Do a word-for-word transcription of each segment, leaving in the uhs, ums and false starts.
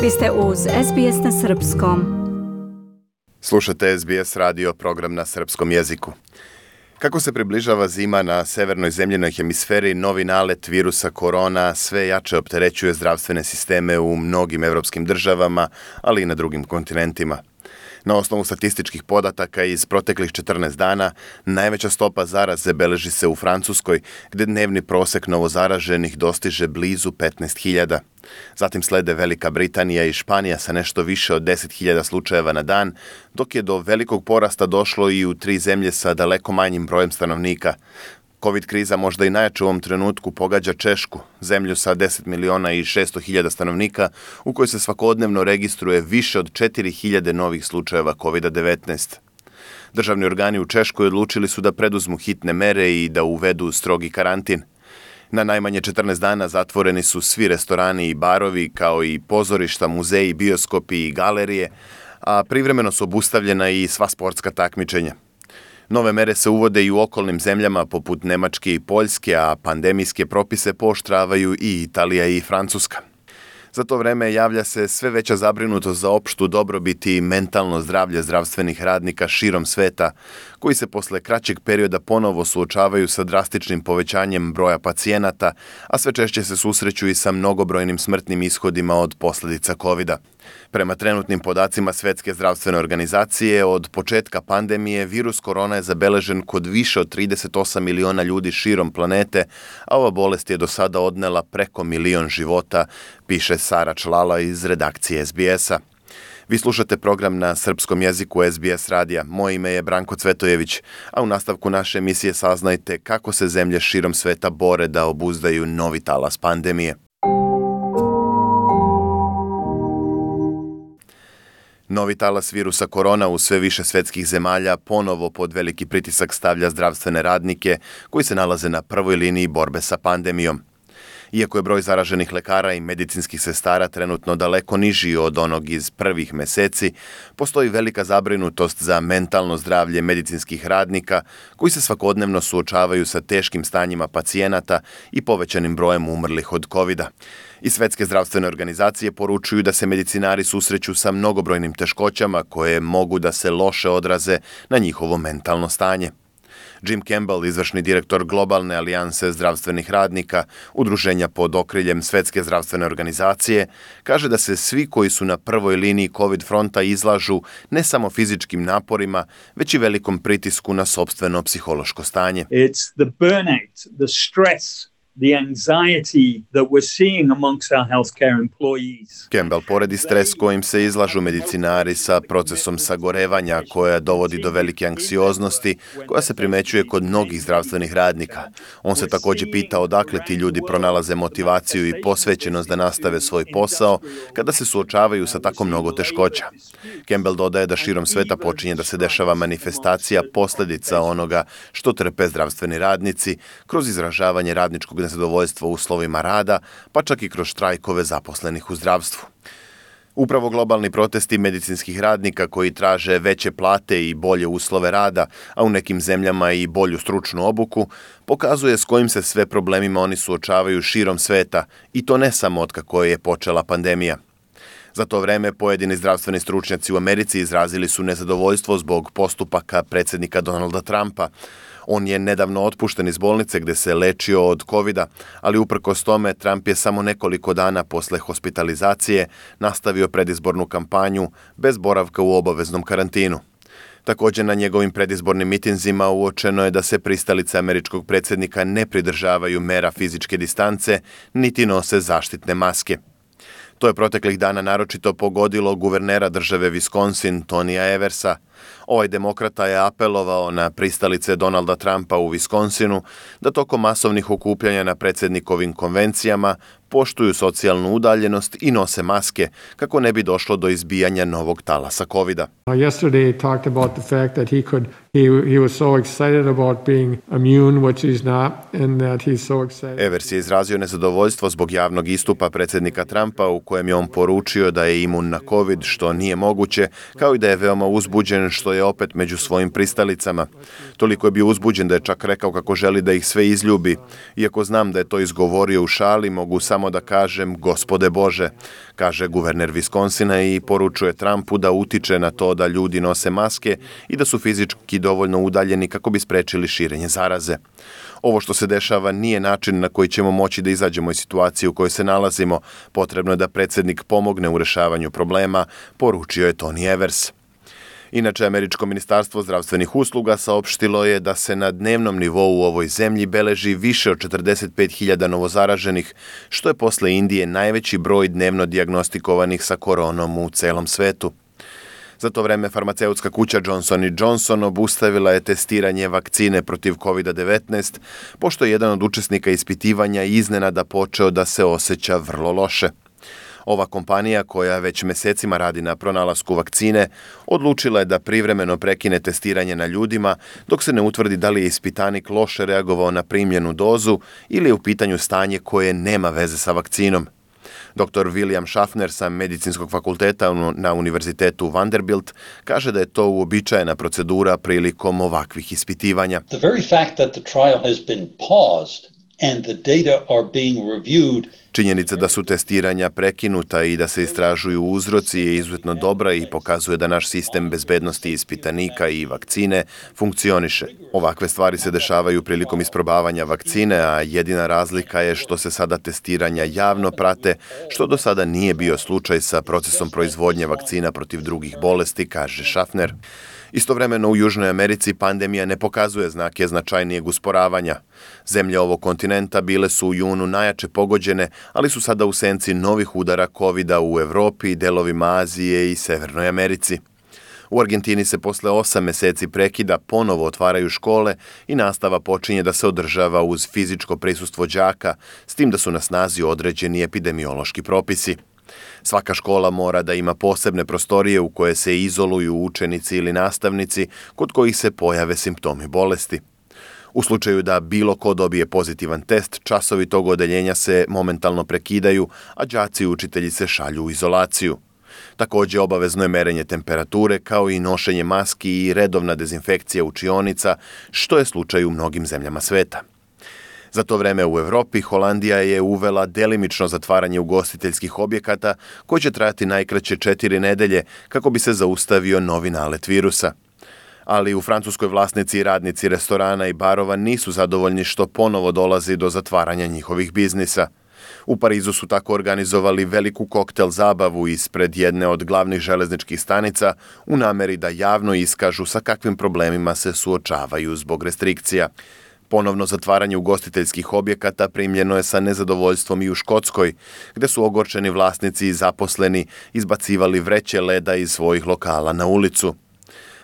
Vi ste uz S B S na srpskom. Slušate S B S radio, program na srpskom jeziku. Kako se približava zima na severnoj zemljinoj hemisferi, novi nalet virusa korona sve jače opterećuje zdravstvene sisteme u mnogim evropskim državama, ali i na drugim kontinentima. Na osnovu statističkih podataka iz proteklih četrnaest dana, najveća stopa zaraze beleži se u Francuskoj, gdje dnevni prosek novozaraženih dostiže blizu petnaest hiljada. Zatim slede Velika Britanija i Španija sa nešto više od deset hiljada slučajeva na dan, dok je do velikog porasta došlo i u tri zemlje sa daleko manjim brojem stanovnika. Covid kriza možda i najjače u ovom trenutku pogađa Češku, zemlju sa deset miliona i šesto hiljada stanovnika, u kojoj se svakodnevno registruje više od četiri hiljade novih slučajeva kovid devetnaest. Državni organi u Češkoj odlučili su da preduzmu hitne mere i da uvedu strogi karantin. Na najmanje četrnaest dana zatvoreni su svi restorani i barovi, kao i pozorišta, muzeji, bioskopi i galerije, a privremeno su obustavljena i sva sportska takmičenja. Nove mere se uvode i u okolnim zemljama poput Nemačke i Poljske, a pandemijske propise pooštravaju i Italija i Francuska. Za to vreme javlja se sve veća zabrinutost za opštu dobrobit i mentalno zdravlje zdravstvenih radnika širom sveta, koji se posle kraćeg perioda ponovo suočavaju sa drastičnim povećanjem broja pacijenata, a sve češće se susreću i sa mnogobrojnim smrtnim ishodima od posljedica kovida. Prema trenutnim podacima Svetske zdravstvene organizacije, od početka pandemije virus korona je zabeležen kod više od trideset osam miliona ljudi širom planete, a ova bolest je do sada odnela preko milion života, piše Sara Člala iz redakcije S B S-a. Vi slušate program na srpskom jeziku S B S radija. Moje ime je Branko Cvetojević, a u nastavku naše emisije saznajte kako se zemlje širom sveta bore da obuzdaju novi talas pandemije. Novi talas virusa korona u sve više svetskih zemalja ponovo pod veliki pritisak stavlja zdravstvene radnike koji se nalaze na prvoj liniji borbe sa pandemijom. Iako je broj zaraženih lekara i medicinskih sestara trenutno daleko niži od onog iz prvih meseci, postoji velika zabrinutost za mentalno zdravlje medicinskih radnika koji se svakodnevno suočavaju sa teškim stanjima pacijenata i povećanim brojem umrlih od kovida. I Svetske zdravstvene organizacije poručuju da se medicinari susreću sa mnogobrojnim teškoćama koje mogu da se loše odraze na njihovo mentalno stanje. Jim Campbell, izvršni direktor Globalne alijanse zdravstvenih radnika, udruženja pod okriljem Svetske zdravstvene organizacije, kaže da se svi koji su na prvoj liniji COVID fronta izlažu ne samo fizičkim naporima, već i velikom pritisku na sopstveno psihološko stanje. It's the burnout, the stress, the anxiety that we're seeing amongst our healthcare employees. Campbell poredi stres kojim se izlažu medicinari sa procesom sagorevanja koja dovodi do velike anksioznosti koja se primećuje kod mnogih zdravstvenih radnika. On se također pita odakle ti ljudi pronalaze motivaciju i posvećenost da nastave svoj posao kada se suočavaju sa tako mnogo teškoća. Campbell dodaje da širom sveta počinje da se dešava manifestacija posljedica onoga što trpe zdravstveni radnici kroz izražavanje radničkog nezadovoljstva uslovima rada, pa čak i kroz štrajkove zaposlenih u zdravstvu. Upravo globalni protesti medicinskih radnika koji traže veće plate i bolje uslove rada, a u nekim zemljama i bolju stručnu obuku, pokazuje s kojim se sve problemima oni suočavaju širom sveta, i to ne samo od kako je počela pandemija. Za to vreme pojedini zdravstveni stručnjaci u Americi izrazili su nezadovoljstvo zbog postupaka predsjednika Donalda Trumpa. On je nedavno otpušten iz bolnice gdje se lečio od kovida, ali uprkos tome Trump je samo nekoliko dana posle hospitalizacije nastavio predizbornu kampanju bez boravka u obaveznom karantinu. Također na njegovim predizbornim mitinzima uočeno je da se pristalice američkog predsjednika ne pridržavaju mera fizičke distance, niti nose zaštitne maske. To je proteklih dana naročito pogodilo guvernera države Wisconsin, Tonija Eversa. Ovaj demokrata je apelovao na pristalice Donalda Trumpa u Wisconsinu da tokom masovnih okupljanja na predsjednikovim konvencijama poštuju socijalnu udaljenost i nose maske kako ne bi došlo do izbijanja novog talasa kovida. Yesterday talked about the fact that he could he he was so excited about being immune, which he's not, and that he's so excited. Evers je izrazio nezadovoljstvo zbog javnog istupa predsjednika Trumpa u kojem je on poručio da je imun na covid, što nije moguće, kao i da je veoma uzbuđen uzbuđen što je opet među svojim pristalicama. Toliko je bio uzbuđen da je čak rekao kako želi da ih sve izljubi. Iako znam da je to izgovorio u šali, mogu samo da kažem Gospode Bože, kaže guverner Wisconsina i poručuje Trumpu da utiče na to da ljudi nose maske i da su fizički dovoljno udaljeni kako bi sprečili širenje zaraze. Ovo što se dešava nije način na koji ćemo moći da izađemo iz situacije u kojoj se nalazimo. Potrebno je da predsjednik pomogne u rešavanju problema, poručio je Tony Evers. Inače, Američko ministarstvo zdravstvenih usluga saopštilo je da se na dnevnom nivou u ovoj zemlji beleži više od četrdeset pet hiljada novozaraženih, što je posle Indije najveći broj dnevno dijagnostikovanih sa koronom u celom svetu. Za to vreme farmaceutska kuća Johnson and Johnson obustavila je testiranje vakcine protiv kovid devetnaest, pošto je jedan od učesnika ispitivanja iznenada počeo da se osjeća vrlo loše. Ova kompanija, koja već mesecima radi na pronalasku vakcine, odlučila je da privremeno prekine testiranje na ljudima dok se ne utvrdi da li je ispitanik loše reagovao na primljenu dozu ili je u pitanju stanje koje nema veze sa vakcinom. doktor William Schaffner sa Medicinskog fakulteta na Univerzitetu Vanderbilt kaže da je to uobičajena procedura prilikom ovakvih ispitivanja. The very fact that the trial has been paused and the data are being reviewed. Činjenica da su testiranja prekinuta i da se istražuju uzroci je izuzetno dobra i pokazuje da naš sistem bezbednosti ispitanika i vakcine funkcioniše. Ovakve stvari se dešavaju prilikom isprobavanja vakcine, a jedina razlika je što se sada testiranja javno prate, što do sada nije bio slučaj sa procesom proizvodnje vakcina protiv drugih bolesti, kaže Schaffner. Istovremeno u Južnoj Americi pandemija ne pokazuje znake značajnijeg usporavanja. Zemlje ovog kontinenta bile su u junu najjače pogođene, ali su sada u senci novih udara kovida u Evropi, delovima Azije i Severnoj Americi. U Argentini se posle osam meseci prekida ponovo otvaraju škole i nastava počinje da se održava uz fizičko prisustvo đaka, s tim da su na snazi određeni epidemiološki propisi. Svaka škola mora da ima posebne prostorije u koje se izoluju učenici ili nastavnici kod kojih se pojave simptomi bolesti. U slučaju da bilo ko dobije pozitivan test, časovi tog odeljenja se momentalno prekidaju, a đaci i učitelji se šalju u izolaciju. Također obavezno je merenje temperature kao i nošenje maski i redovna dezinfekcija učionica, što je slučaj u mnogim zemljama sveta. Za to vreme u Evropi Holandija je uvela delimično zatvaranje ugostiteljskih objekata koji će trajati najkraće četiri nedelje kako bi se zaustavio novi nalet virusa. Ali u Francuskoj vlasnici i radnici restorana i barova nisu zadovoljni što ponovo dolazi do zatvaranja njihovih biznisa. U Parizu su tako organizovali veliku koktel zabavu ispred jedne od glavnih železničkih stanica u nameri da javno iskažu sa kakvim problemima se suočavaju zbog restrikcija. Ponovno zatvaranje ugostiteljskih objekata primljeno je sa nezadovoljstvom i u Škotskoj, gde su ogorčeni vlasnici i zaposleni izbacivali vreće leda iz svojih lokala na ulicu.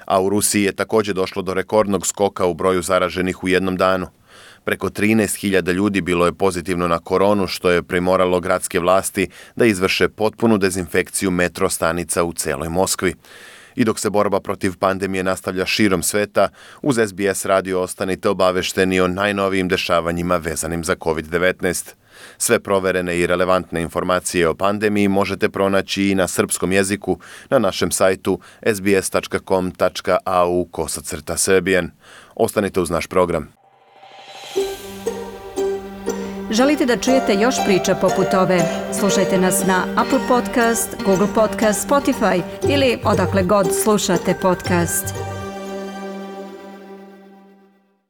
A u Rusiji je također došlo do rekordnog skoka u broju zaraženih u jednom danu. Preko trinaest hiljada ljudi bilo je pozitivno na koronu, što je primoralo gradske vlasti da izvrše potpunu dezinfekciju metro stanica u celoj Moskvi. I dok se borba protiv pandemije nastavlja širom sveta, uz S B S radio ostanite obavešteni o najnovijim dešavanjima vezanim za kovid devetnaest. Sve proverene i relevantne informacije o pandemiji možete pronaći i na srpskom jeziku na našem sajtu s b s tačka com tačka a u kosacrta srbijan. Ostanite uz naš program. Želite da čujete još priča poput ove? Slušajte nas na Apple Podcast, Google Podcast, Spotify ili odakle god slušate podcast.